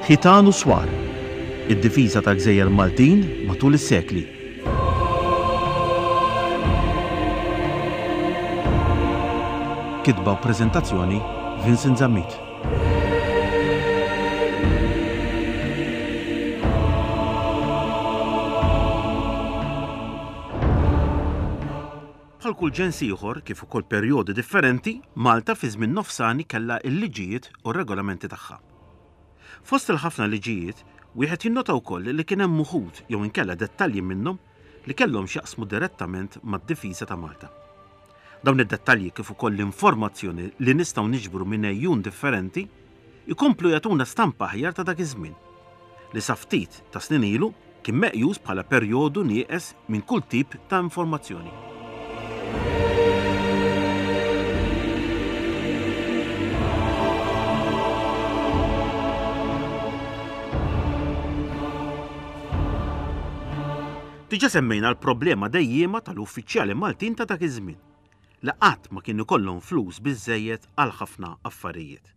Ħitan u Swar, Id-difiża tal-gżejjer Maltin matul is-sekli. Kitba u preżentazzjoni Vincent Zammit. Bħal kull ġens ieħor, kif ukoll perjodi differenti, Malta fi żmien nofsani kellha l-liġijiet u r-regolamenti tagħha. Fost il-ħafna liġijiet, wieħed jinnota wkoll li kien hemm uħud jew inkella dettalji minnhom li kellhom x'jaqsmu direttament mad-difiża ta' Malta. Dawn id-dettalji kif ukoll l-informazzjoni li nistgħu niġbru minn għejun differenti jkomplu jagħtuna stampa aħjar ta' dak iż-żmien, li sa ftit ta' snin ilu kien meqjus bħala perjodu nieqes minn kull tip ta' informazzjoni. Diġà semmejna l-problema dejjiema tal-uffiċjali Maltin ta' dak iż-żmien, li qatt ma kien ikollhom flus biżżejjed għal ħafna affarijiet.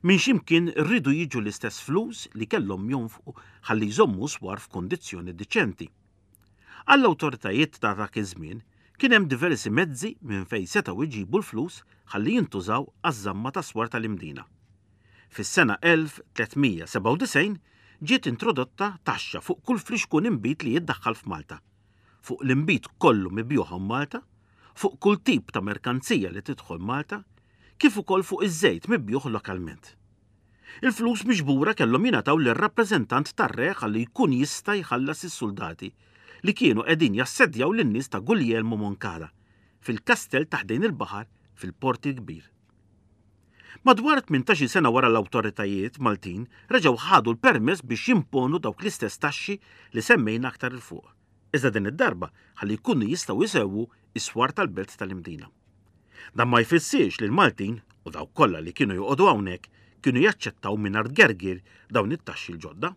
Minn xi mkien riedu jiġu l-istess flus li kellhom jonfqu ħalli jżommu swar f'kundizzjoni diċenti. Għall-awtoritajiet ta' dak iż-żmien kien hemm diversi mezzi minn fejn setgħu jġibu l-flus ħalli jintużaw għaż-żamma tas-swar tal-Imdina. Fis-sena 1397 ġiet introdotta taxxa fuq kull flixkun inbid li jiddaħħal f'Malta, fuq l-inbid kollu mibjugħ hawn Malta, fuq kull tip ta' merkanzija li tidħol Malta, kif ukoll fuq iż-żejt mibjugħ lokalment. Il-flus miġbura kellhom jingħataw lir-rappreżentant tar-re ħalli jkun jista' jħallas is-suldati li kienu qegħdin jassedjaw lin-nies ta' Guglielmo Moncada fil-kastell ta' ħdejn il-baħar fil-Port il-Kbir. Madwar tmintax-il sena wara l-awtoritajiet Maltin reġgħu ħadu l-permess biex jimponu dawk l-istess taxxi li semmejna aktar 'il fuq, iżda din id-darba ħalli jkunu jistgħu jsewwu s-swar tal-belt tal-Imdina. Dan ma jfissirx li l-Maltin u dawk kollha li kienu joqogħdu hawnhekk kienu jaċċettaw mingħajr tgergir dawn it-taxxi l-ġodda.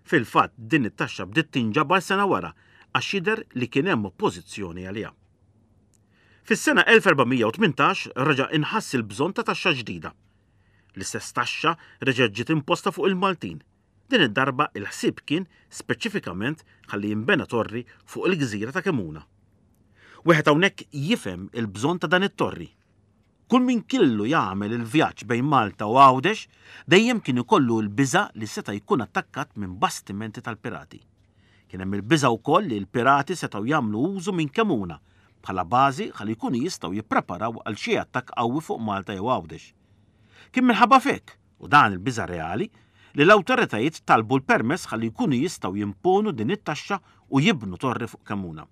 Fil-fatt din it-taxxa bdiet tinġabar sena wara għax jidher li kien hemm oppożizzjoni għaliha. Fis-sena 1418 reġa' inħass il-bżonn ta' taxxa ġdida. L-istess taxxa reġgħet ġiet imposta fuq il-Maltin. Din id-darba il-ħsieb kien speċifikament ħalli jinbena torri fuq il-gżira ta' Kemuna. Wieħed hawnhekk jifhem il-bżonn ta' dan it-torri. Kull min kellu jagħmel il-vjaġġ bejn Malta u Għawdex dejjem kien ikollu l-biża' li seta' jkun attakkat minn bastimenti tal-pirati. Kien hemm il-biża' wkoll li l-pirati setgħu jagħmlu użu minn Kemuna bħala bażi ħalli jkunu jistgħu jippreparaw għal xi attakk qawwi fuq Malta jew Għawdex. Kien minħabba f'hekk, u dan il-biża' reali, li l-awtoritajiet talbu l-permess ħalli jkunu jistgħu jimponu din it-taxxa u jibnu torri fuq Kemuna.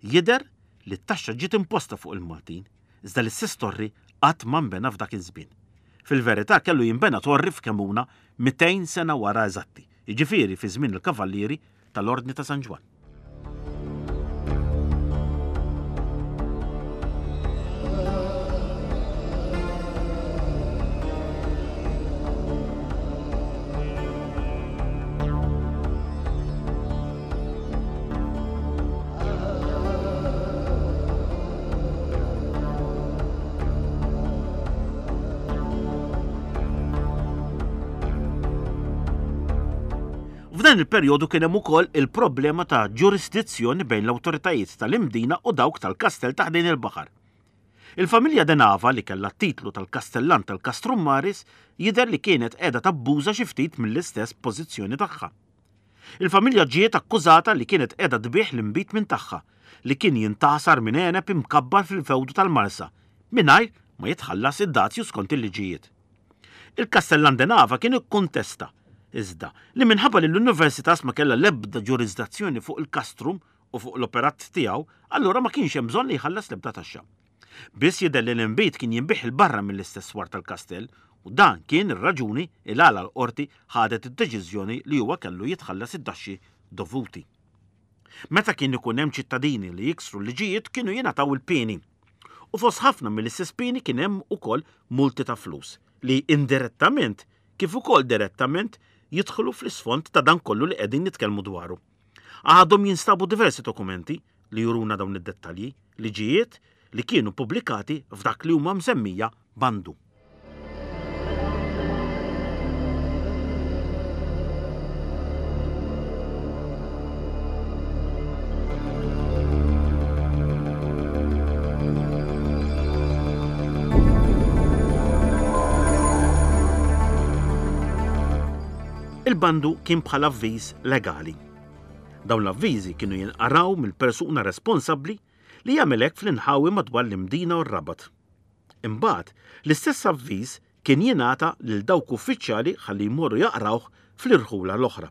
Jidher li t-taxxa ġiet imposta fuq il-Maltin, iżda l-istess torri qatt ma nbena f'dak iż-żmien. Fil-verità kellu jinbena torri f'Kemuna 200 sena wara eżatti, jiġifieri fi żmien il-Kavallieri tal-Ordni ta' San Ġwann. F'dan il-perjodu kien hemm ukoll il-problema ta' ġurisdizzjoni bejn l-awtoritajiet tal-Imdina u dawk tal-kastell ta' ħdejn il-baħar. Il-familja De Nava li kellha t-titlu tal-Kastellan tal-Castrum Maris jidher li kienet qiegħda tabbuża xi ftit mill-istess pożizzjoni tagħha. Il-familja ġiet akkużata li kienet qiegħda tbigħ l-inbid minn tagħha, li kien jintgħasar minn għeneb imkabbar fil-fewdu tal-Marsa, mingħajr ma jitħallas id-dazju skont il-liġijiet. Il-Kastellan de Nava kien ikkuntesta, iżda, li minħabba li l-Universitas ma kellha l-ebda ġurisdazzjoni fuq il-castrum u fuq l-operat tiegħu, allura ma kienx hemm bżonn li jħallas l-ebda taxxa. Biss jidher li l-inbid kien jinbiegħ 'il barra mill-istess swar tal-kastell u dan kien ir-raġuni il għala l-qorti ħadet id-deċiżjoni li huwa kellu jitħallas id-daxxi dovuti. Meta kien ikun hemm ċittadini li jiksru l-liġijiet kienu jingħataw il-pieni. U fost ħafna mill-istess pieni kien hemm ukoll multi ta' flus li indirettament kif ukoll direttament jidħlu fl-isfond ta' dan kollu li qegħdin nitkellmu dwaru. Għadhom jinstabu diversi dokumenti li juruna dawn id-dettalji, liġijiet li kienu ppubblikati f'dak li huma msemmija bandu. Il-bandu kien bħal avviż legali. Dawn l-avviżi kienu jinqaraw mill-persuna responsabbli li jagħmel hekk fl-inħawi madwar l-Imdina u r-Rabat. Imbagħad, l-istess avviż kien jingħata lil dawk uffiċjali ħalli jmorru jaqrawh fl-irħula l-oħra.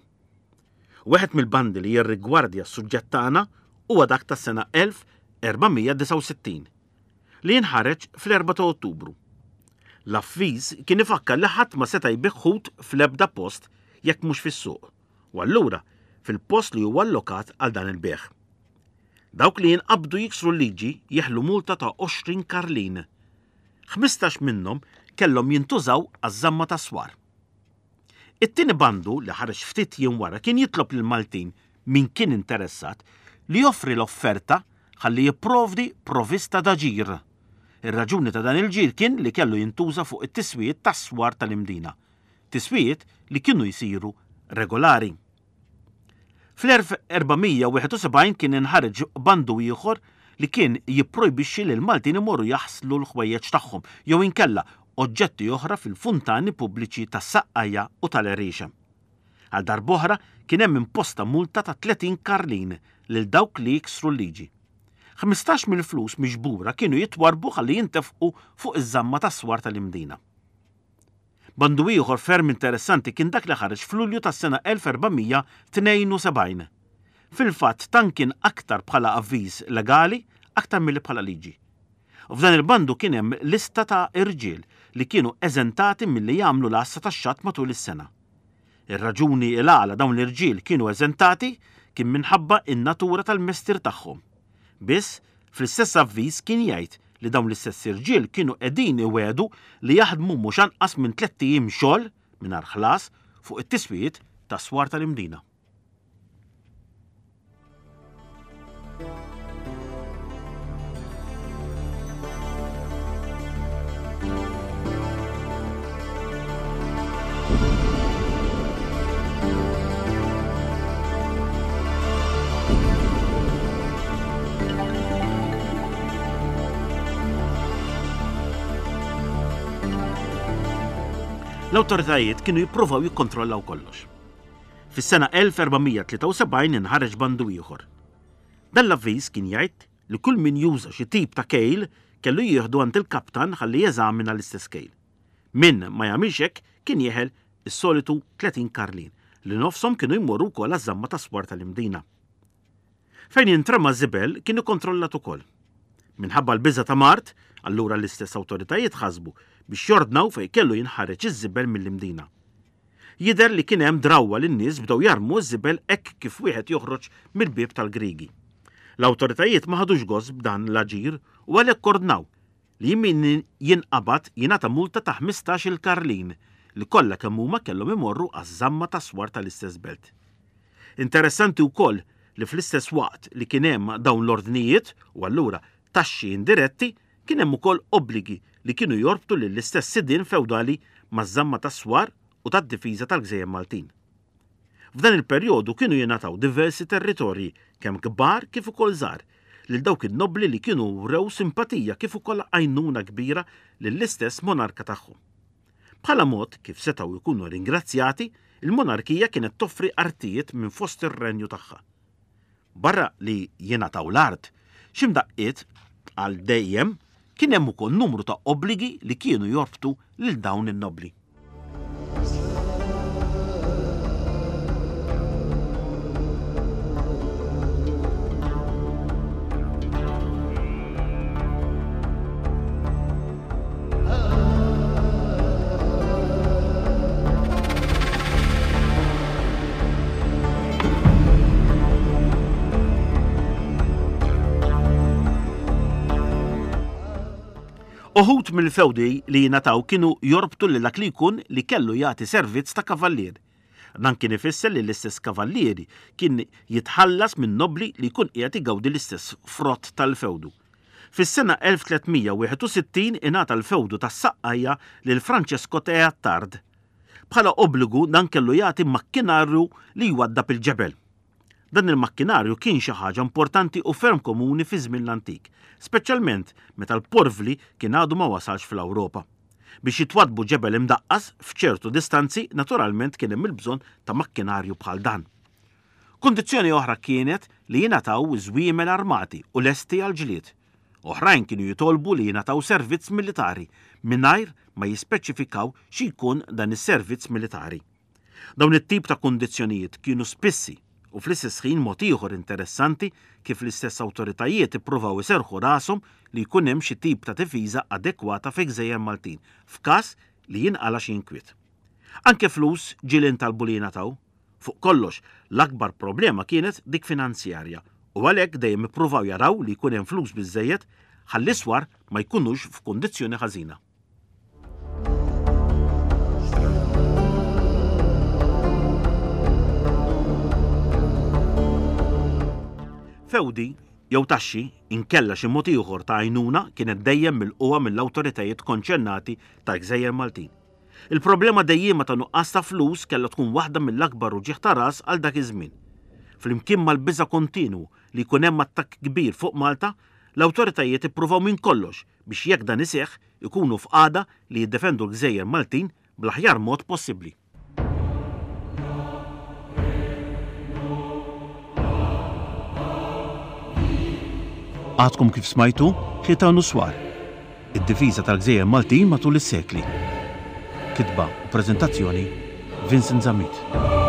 Wieħed mill-bandi li jirrigwardja s-suġġett tagħna huwa dak tas-sena 1469, li inħareġ fl-4 ta' Ottubru. L-avviż kien ifakkar li ħadd ma seta' jbigħ ħut fl-ebda post jekk mhux fis-suq, u allura fil-post li huwa allokat għal dan il-bejgħ. Dawk li jinqabdu jiksru l-liġi jeħlu multa ta' 20 karlin. 15 minnhom kellhom jintużaw għaż-żamma tas-swar. It-tieni bandu li ħareġ ftit jiem wara kien jitlob lill-Maltin, min kien interessat, li joffri l-offerta ħalli jipprovdi provista ta' ġir. Ir-raġuni ta' dan il-ġir kien li kellu jintuża fuq it-tiswijiet tas-swar tal-Imdina, tiswijiet li kienu jsiru regolari. Fl-1471 kien inħareġ bandu ieħor li kien jipprojbixxi li l-Maltin imorru jaħslu l-ħwejjeġ tagħhom jew inkella oġġetti oħra fil-funtani pubbliċi tas-Saqqajja u tal-Għeriexa. Għal darb'oħra kien hemm imposta multa ta' 30 karlin lil dawk li jiksru l-liġi. 15 mill-flus miġbura kienu jitwarrbu ħalli jintefqu fuq iż-żamma tas-swar tal-Imdina. Bandu ieħor ferm interessanti kien dak li ħareġ f'Lulju tas-sena 1472. Fil-fatt dan kien aktar bħala avviż legali aktar milli bħala liġi. F'dan il-bandu kien hemm lista ta' irġiel li kienu eżentati milli jagħmlu l-għassa tax-xatt matul is-sena. Ir-raġuni il-għala dawn l-irġiel kienu eżentati kien minħabba in-natura tal-mestier tagħhom. Biss, fl-istess avviż kien jgħid li dawn l-istess irġiel kienu qegħdin iwiegħdu li jaħdmu mhux anqas minn tlett ijiem xogħol mingħajr ħlas fuq it-tiswijiet tas-swar tal-Imdina. L-awtoritajiet kienu jippruvaw jikkontrollaw kollox. Fis-sena 1473 inħareġ bandu ieħor. Dan l-avviż kien jgħid li kull min juża xi tip ta' kejl kellu jieħdu għand il-kaptan ħalli jeżamina l-istess kejl. Min ma jagħmilx hekk kien jeħel is-solitu 30 karlin, li nofshom kienu jmorru wkoll għaż-żamma tas-swar tal-Imdina. Fejn jintrema żibel kien ikkontrollat ukoll. Minħabba l-biża' ta' mard, allura l-istess awtoritajiet ħasbu biex jordnaw fejn kellu jinħareġ iż-żibel mill-Imdina. Jidher li kien hemm drawwa li n-nies bdew jarmu ż-żibel hekk kif wieħed joħroġ mill-bieb tal-Griegi. L-awtoritajiet ma ħadux gost b'dan l-aġir u għalhekk ordnaw li min jinqabad jingħata multa ta' 15-il karlin li kollha kemm huma kellhom imorru għaż-żamma tas-swar tal-istess belt. Interessanti wkoll li fl-istess waqt li kien hemm dawn l-ordnijiet, u allura taxxi indiretti, kien hemm ukoll obbligi li kienu jorbtu lill-istess sidien fewdali maż-żamma tas-swar u tad-difiża tal-gżejjer Maltin. F'dan il-perjodu kienu jingħataw diversi territorji, kemm kbar kif ukoll żgħar, lil dawk in-nobbli li kienu wrew simpatija kif ukoll għajnuna kbira lill-istess monarka tagħhom. Bħala mod kif setgħu jkunu ringrazzjati, il-monarkija kienet toffri artijiet minn fost ir-renju tagħha. Barra li jingħataw l-art, xi mdaqqiet għal dejjem kien hemm ukoll numru ta' obbligi li kienu jorbtu lil dawn in-nobbli. Uħud mill-fewdi li jingħataw kienu jorbtu lil dak li jkun li kellu jagħti servizz ta' kavallier. Dan kien ifisser li l-istess kavallieri kien jitħallas minn nobbli li jkun qiegħed igawdi l-istess frott tal-fewdu. Fis-sena 1361 ingħata l-fewdu tas-Saqqajja lil Francesco te Attard. Bħala obbligu dan kellu jagħti makkinarju li jwaddab il-ġebel. Dan il-makkinarju kien xi ħaġa importanti u ferm komuni fi żmien l-antik, speċjalment meta l-porvli kien għadu ma wasalx fl-Ewropa. Biex jitwaddbu ġebel imdaqqas f'ċertu distanzi naturalment kien hemm il-bżonn ta' makkinarju bħal dan. Kundizzjoni oħra kienet li jingħataw żwiemel armati u lesti għall-ġlied. Oħrajn kienu jitolbu li jingħataw servizz militari mingħajr ma jispeċifikaw xi jkun dan is-servizz militari. Dawn it-tip ta' kundizzjonijiet kienu spissi u fl-istess ħin mod ieħor interessanti kif l-istess awtoritajiet ippruvaw iserrħu rashom li jkun hemm xi tip ta' difiża adekwata fil-gżejjer Maltin f'każ li jinqala' xi inkwiet. Anke flus ġieli ntalbu li jingħataw. Fuq kollox, l-akbar problema kienet dik finanzjarja u għalhekk dejjem ippruvaw jaraw li jkun hemm flus biżżejjed ħalli s-swar ma jkunux f'kundizzjoni ħażina. Fewdi jew taxxi inkella xi mod ieħor ta' għajnuna kienet dejjem milqugħa mill-awtoritajiet konċernati tal-gżejjer Maltin. Il-problema dejjiema ta' nuqqas ta' flus kellha tkun waħda mill-akbar uġigħ ta' ras għal dak iż-żmien. Flimkien mal-biża' kontinwu li jkun hemm attakk kbir fuq Malta, l-awtoritajiet ippruvaw minn kollox biex jekk dan iseħħ ikunu f'qagħda li jiddefendu l-gżejjer Maltin bl-aħjar mod possibbli. Għadkom kif smajtu Ħitan u Swar, id-difiża tal-gżejjer Maltin matul is-sekli. Kitba u preżentazzjoni Vincent Zammit.